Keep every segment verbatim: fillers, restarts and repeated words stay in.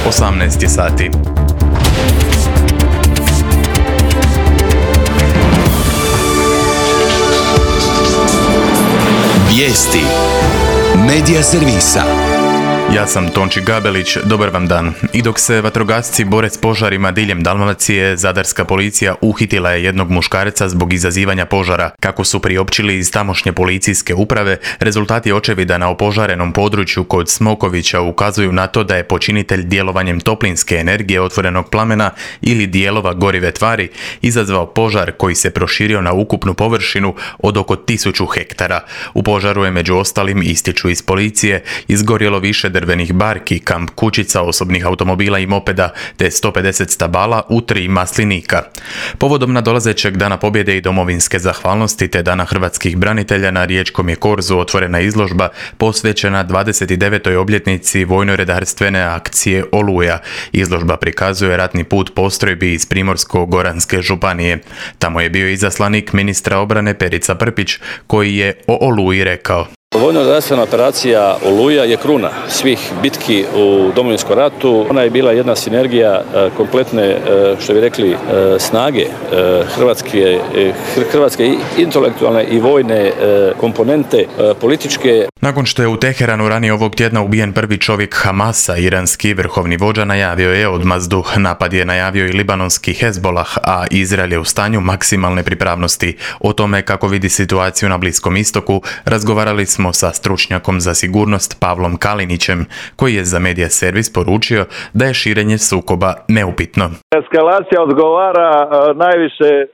osamnaest sati. Vijesti Medija servisa. Ja sam Tonči Gabelić, dobar vam dan. I dok se vatrogasci bore s požarima diljem Dalmacije, zadarska policija uhitila je jednog muškarca zbog izazivanja požara. Kako su priopćili iz tamošnje policijske uprave, rezultati očevida na opožarenom području kod Smokovića ukazuju na to da je počinitelj djelovanjem toplinske energije otvorenog plamena ili dijelova gorive tvari izazvao požar koji se proširio na ukupnu površinu od oko tisuću hektara. U požaru je među ostalim, ističu iz policije, izgorjelo više drvenih barki, kamp kućica, osobnih automobila i mopeda, te sto pedeset stabala u tri maslinika. Povodom nadolazećeg Dana pobjede i domovinske zahvalnosti te Dana hrvatskih branitelja na riječkom je korzu otvorena izložba posvećena dvadeset devetoj obljetnici vojno-redarstvene akcije Oluja. Izložba prikazuje ratni put postrojbi iz Primorsko-goranske županije. Tamo je bio izaslanik ministra obrane Perica Prpić, koji je o Oluji rekao: Vojno-redarstvena operacija Oluja je kruna svih bitki u Domovinskom ratu. Ona je bila jedna sinergija kompletne, što bi rekli, snage Hrvatske, Hrvatske intelektualne i vojne komponente političke. Nakon što je u Teheranu ranije ovog tjedna ubijen prvi čovjek Hamasa, iranski vrhovni vođa najavio je odmazdu. Napad je najavio i libanonski Hezbolah, a Izrael je u stanju maksimalne pripravnosti. O tome kako vidi situaciju na Bliskom istoku razgovarali smo sa stručnjakom za sigurnost Pavlom Kalinićem, koji je za Medija servis poručio da je širenje sukoba neupitno. Eskalacija odgovara uh, najviše uh,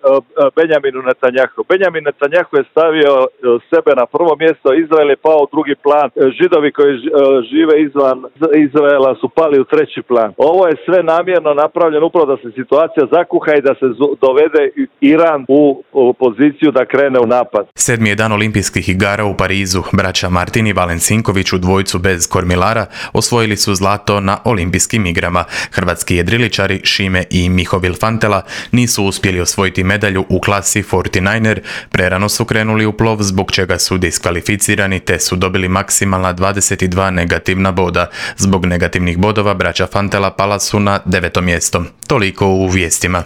Benjaminu Netanjahu. Benjamin Netanjahu je stavio uh, sebe na prvo mjesto, Izrael je pao u drugi plan, Židovi koji uh, žive izvan Izraela su pali u treći plan. Ovo je sve namjerno napravljeno upravo da se situacija zakuha i da se dovede Iran u, u poziciju da krene u napad. Sedmi je dan olimpijskih igara u Parizu. Braća Martin i Valen Sinković u dvojcu bez kormilara osvojili su zlato na olimpijskim igrama. Hrvatski jedriličari Šime i Mihovil Fantela nisu uspjeli osvojiti medalju u klasi četrnaest er, prerano su krenuli u plov zbog čega su diskvalificirani te su dobili maksimalna dvadeset dva negativna boda. Zbog negativnih bodova braća Fantela pala su na deveto mjesto. Toliko u vijestima.